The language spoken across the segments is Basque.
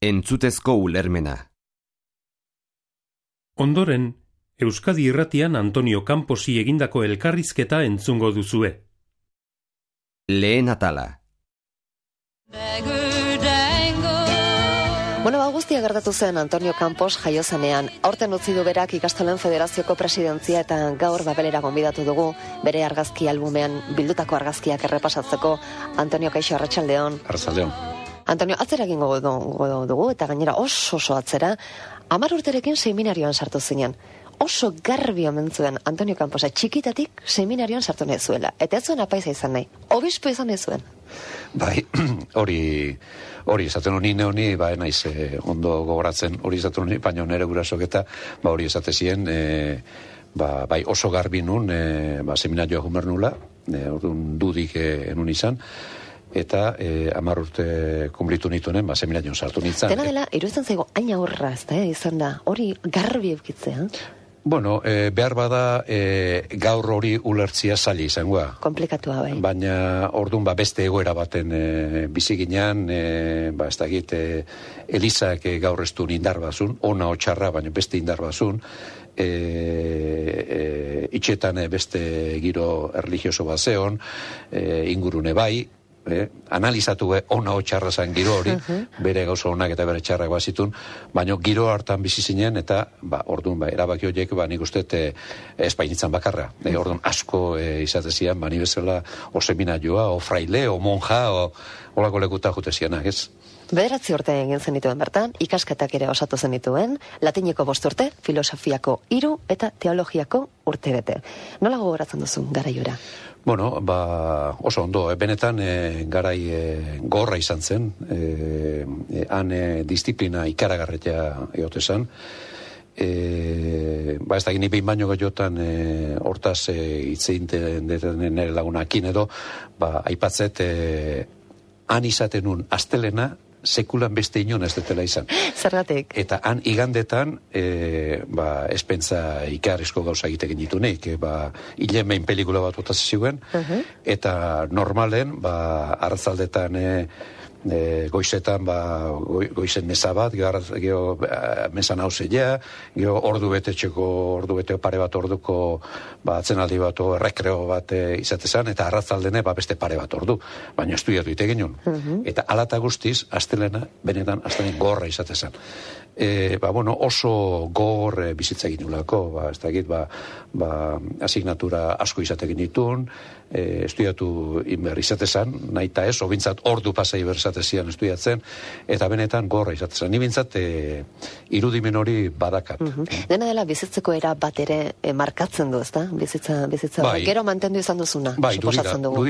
Entzutezko ulermena. Ondoren, Euskadi Irratian Antonio Camposi egindako elkarrizketa entzungo duzue. Lehen atala. Guztia gertatu zen Antonio Campos jaiozanean. Aurten utzi du berak ikastolen federazioko presidentzia eta gaur Babelera gonbidatu dugu bere argazki albumean bildutako argazkiak errepasatzeko. Antonio, kaixo, arratsaldeon. Arratsaldeon. Antonio, atzera egingo dugu eta gainera oso atzera. 10 urterekin seminarioan sartu zinen. Oso garbi omen zuen Antonio Camposa txikitatik seminarioan sartu nahi zuela. Eta ez zuen apaiza izan nahi. Obispo izan nahi zuen. Bai, hori esaten honi, naiz ondo gogoratzen hori esaten honi, baina nire gurasok eta hori esate zien, bai oso garbi nun, seminarioa jumer nula, orduan dudik enun izan, eta 10 urte kumplitu nitunen, seminarioan sartu nintzen. Dena dela, iruditzen zaigo, hain aurra ez da, izan da, hori garbi eukitzea. Bueno, behar bada gaur hori ulertzia zaila izangoa. Komplikatua bai. Baina orduan beste egoera baten bizi ginean, ez dakit, Elizak gaur ez du indar bazun, ona otxarra, baina beste indar bazun, itxetan beste giro erlijioso bat zeon, ingurune bai, analizatu ona otxarra zan giro hori, bere gauza onak eta bere txarrak bazitun, baina giro hartan bizi zinen, eta orduan erabaki horiek nik uste espainitzan bakarra. Orduan asko izatezian, ni bezala o seminarioa, o fraile, o monja, o olako lekuta jutezianak, ez? 9 urte egin zenituen bertan, ikasketak ere osatu zenituen, latineko 5 urte, filosofiako 3 eta teologiako 1 bete. Nola gogoratzen duzu garaiora? Bueno, oso ondo, benetan garai gorra izan zen, han disiplina ikaragarretia eotezan, ez da gini behin baino gehiotan hortaz hitzein nire lagunakin edo, aipatzet han izaten un astelena, sekulan beste inon ez detela izan. Zergatik? Eta han igandetan, espentza ikarrizko gauza egitekin ditunik, hilen behin pelikula bat botaz ziguen, eta normalen, arratzaldetan, goizetan, goizen mesa bat, geho mesan hauzeia, geho ordu bete pare bat orduko atzenaldi bat, rekreo bat izatezan, eta arratzaldene beste pare bat ordu, baina estudiatu ite genuen. Eta alata guztiz, astelena, benetan, astelena gorra izatezan. Oso gor bizitza egin nulako, ez dakit, asignatura asko izatekin ditun, estudiatu inber izatezan, nahi eta ez, obintzat ordu pasai berzatezian estudiatzen, eta benetan gorra izatezan. Ni bintzat irudimen hori badakat. Dena dela bizitzeko era bat ere markatzen du, ezta? Bizitza gero mantendu izan duzuna, suposatzen dugu.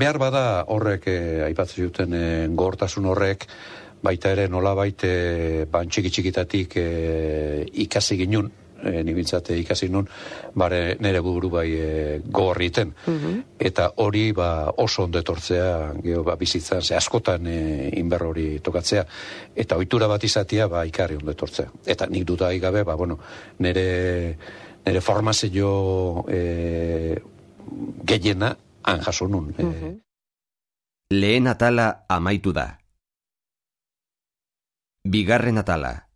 Behar bada horrek, aipatzen duten gogortasun horrek, baita ere nolabait txikitatik ikasi ginun, nibintzate ikasi nun, nire buru gogorriten. Eta hori oso ondo etortzea, bizitzan, askotan inber hori tokatzea. Eta ohitura bat izatea, ikarri ondo etortzea. Eta nik dudai gabe, nire formazio gehiena han jaso nun. Lehen atala amaitu da. Bigarren atala.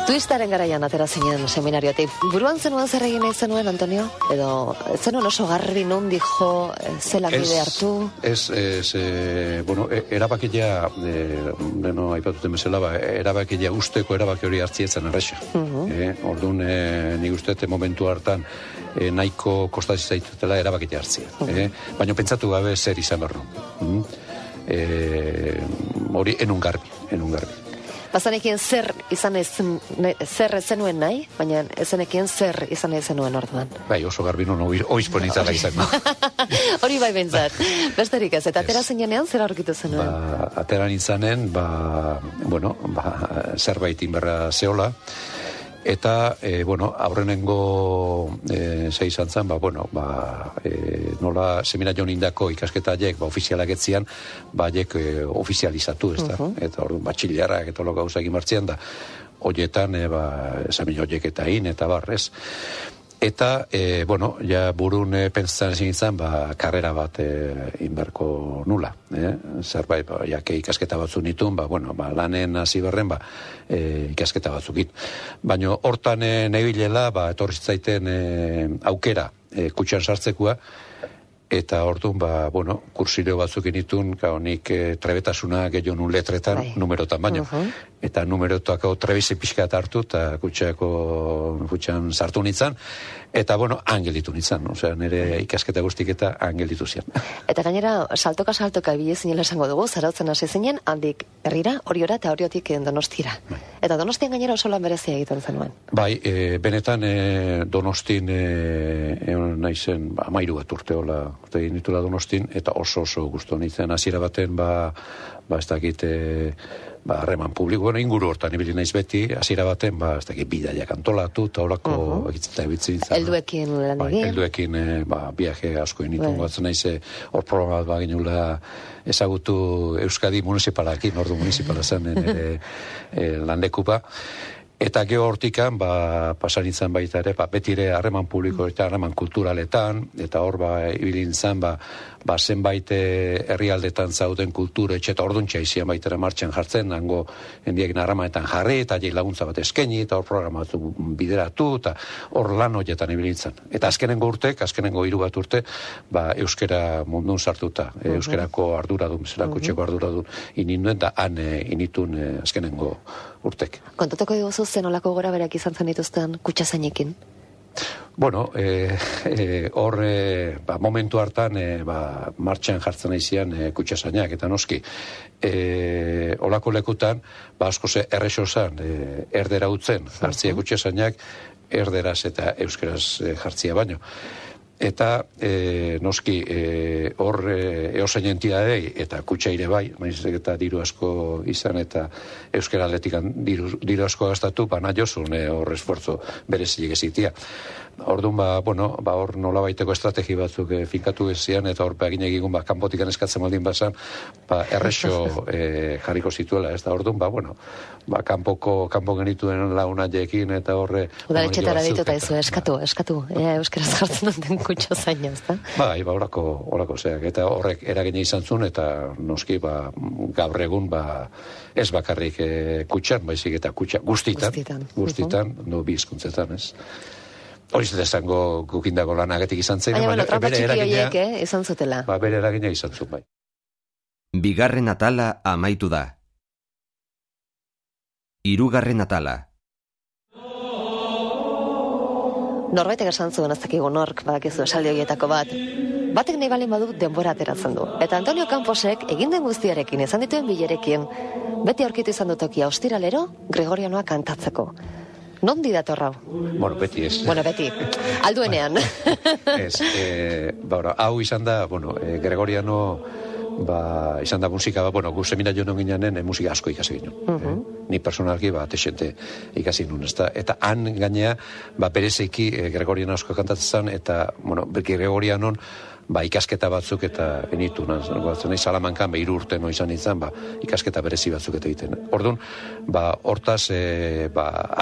Twistaren garaian atera zinen seminariotik. Buruan zenuen zer egin nahi zenuen, Antonio? Edo zenuen oso garbi nondi jo, zelan bide hartu? Erabakilea, aipatuten bezala, erabakilea usteko erabaki hori hartzietzen erresa. Orduan, nik uste momentu hartan nahiko kostatzen zaitutela erabakilea hartzia. Baina pentsatu gabe zer izan berro. Hori enun garbi. Bazanekien zer ez zenuen nahi, baina ezenekien zer izan nahi zenuen orduan. Bai, oso garbi nun oizpo nintzala izan. Hori bai bentzat. Besterik ez, eta atera zinean zer aurkitu zenuen? Atera nintzanen, zerbait inberra zeola, eta, aurrenengo izan zen, nola seminarion indako ikasketaiek, ofizialak etzian, ofizializatu, ez da? Eta orduan, batxiliarrak eta gauza egin martzian da, horietan, esamin horiek eta eta barrez. Eta, bueno, ja burun pentsatzen zintzen, karrera bat inberko nula. Zerbait, jake ikasketa batzuk nituen, bueno, lanen hasi berren, ikasketa batzukin. Baina hortan nebilela, etorri zaiten aukera kutxan sartzekoa, eta orduan, bueno, kursilio batzuk initun, nik trebetasuna gehiago nun letretan, numerotan baino. Eta numerotako trebizi pixka hartu, eta kutxan sartu nintzen, eta, bueno, angelitu nintzen. Osea, nire ikasketa guztik eta angelitu zian. Eta gainera, saltoka bile zinela esango dugu, zarautzen hasi zinen, handik herrira, Oriora eta Oriotik Donostira. Eta Donostian gainera oso lan berezia egiten zenuen. Bai, benetan Donostin naizen 13 bat urte egin ditula Donostin, eta oso gustu nintzen hasiera baten, ez dakit, harreman publiko, inguru hortan ibili naiz beti, hasiera baten, ez dakit, bidaiak antolatu, eta horako egitzeta ebitzen nintzen. Helduekin lan egin. Helduekin, viaje asko initu gatzen naiz, hor programa bat ginula ezagutu Euskadi municipalakin, ordu municipala zen landekupa. Eta geho hortikan, pasan nintzen baita ere, betire harreman publiko eta harreman kulturaletan, eta hor ibili nintzen, zenbait herrialdetan zauden kultura etxe, eta orduntxa izan baitera martxan jartzen, nango hendiekin harramanetan jarri, eta jai laguntza bat eskaini, eta hor programa batzuk bideratu, eta hor lan horietan ibili nintzen. Eta azkenengo 3 bat urte, euskera mundun sartuta, euskerako arduradun, zelako txeko arduradun ininduen, eta han initun azkenengo urtek. Kontatuko diguzu zen olako gora berak izan zen dituzten kutxazainekin? Bueno, hor momentu hartan martxan jartzen aizian kutxazainak, eta noski olako lekutan asko errexo zan erdera utzen jartzia kutxazainak, erderaz eta euskeraz jartzia baino. Eta noski hor eosain entidadei eta kutxaire bai, maizek eta diru asko izan eta euskara atletikan diru asko gastatu, nahi jozun hor esforzo berezilik ezitia. Orduan, hor nola baiteko estrategi batzuk finkatu ezian, eta hor egin egigun, kanpotikan eskatzen baldin bazan, errexo jarriko zituela, ez da, orduan, kanpo genituen launaiekin, eta horre... Udaletxetara dituta izu, eskatu, euskaraz jartzen duten kutxo zaina, ez da? Bai, horako zeak, eta horrek eragina izan zuen, eta noski, gaur egun, ez bakarrik kutxan, baizik eta kutxa guztitan, bi hizkuntzetan, ez? Hori zeta esango gukindako lanagetik izan zen. Baina, trampa txiki horiek, izan zutela. Bere eragina izan zuen, bai. Bigarren atala amaitu da. Hirugarren atala. Norbaitek esan zuen, ez dakigu nork, badakizu esaldi horietako bat. Batek nahi balin badu denbora ateratzen du. Eta Antonio Camposek egin den guztiarekin, izan dituen bilerekin, beti aurkitu izan dutokia ostiralero, Gregorianoa kantatzeko. Nondi datorra? Bueno, beti ez. Bueno, beti. Alduenean. Ez. Hau izan da, Gregoriano, izan da musika, gu seminario non ginanen, musika asko ikasi ginen. Ni personalki, texente ikasi nun, ez da. Eta han gainea, berezeiki Gregoriano asko kantatzen, eta, Gregorianon, ikasketa batzuk eta enitu nahi Salamankan 3 urte izan nintzen, ikasketa berezi batzuk eta egiten. Orduan, hortaz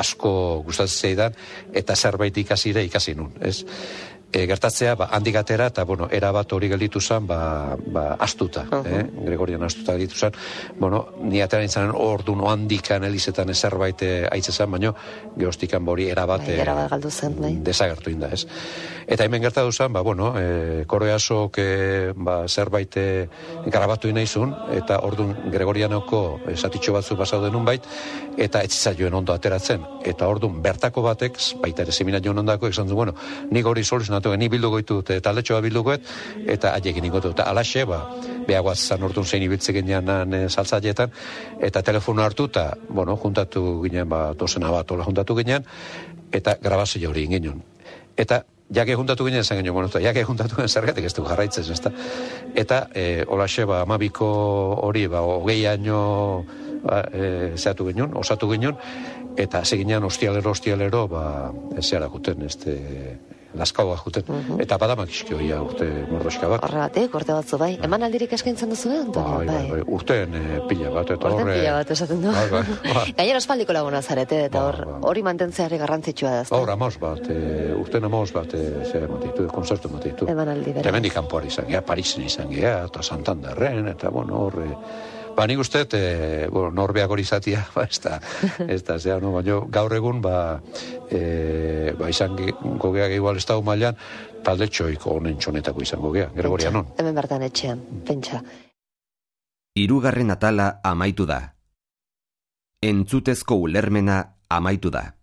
asko gustatzen zeidan eta zerbait ikasi nun, ez? Gertatzea, handik atera eta, erabat hori gelditu zen, astuta, Gregorian astuta gelditu zen. Ni atera nintzen orduan handikan elizetan zerbait aitze zen, baina gehoztikan hori erabat desagertu inda, ez? Eta hemen gertatu zen, Koreasok zerbait grabatu inaizun, eta orduan Gregorianoko zatitxo batzuk basau denun bait, eta etzizaioen ondo ateratzen. Eta orduan bertako batek, baita ere seminario ondako, esan du, nik hori soluzionatu, ni bilduko ditut, taldetxoa bildukoet, eta haiekin ikotu. Eta alaxe, behagoaz zan orduan zein ibiltzen ginean saltzaietan, eta telefono hartu, eta, juntatu ginen, dozena bat hola juntatu ginen, eta grabazio hori ginen. Eta jake juntatu ginen zen ginen, jake juntatu ginen zergatik ez du jarraitzen, ez da. Eta, olaxe, 12ko hori, 20 año zeatu ginen, osatu ginen, eta seginean ostialero, zeharakuten, laskaua juten. Eta badamak iski hoia urte mordoska bat. Horregatik, urte batzu bai. Eman aldirik eskaintzen duzu, Antonio? Bai. Urteen pila bat, eta horre... Urteen pila bat, esaten du. Bai. Gainera ospaldiko laguna zarete, eta hori mantentzeari garrantzitsua da. Hor, amos bat, urten amos bat, konzertu matitu. Eman aldi, bera. Temendik kanpoari izan gea, Parisen izan gea, eta Santanderren, eta horre... Nik uste, norbeak hori izatia, ez da, gaur egun, izan gogeak igual ez dago mailan, talde txoiko honen txonetako izango gea, Gregorianon. Hemen bertan etxean, pentsa. Hirugarren atala amaitu da. Entzutezko ulermena amaitu da.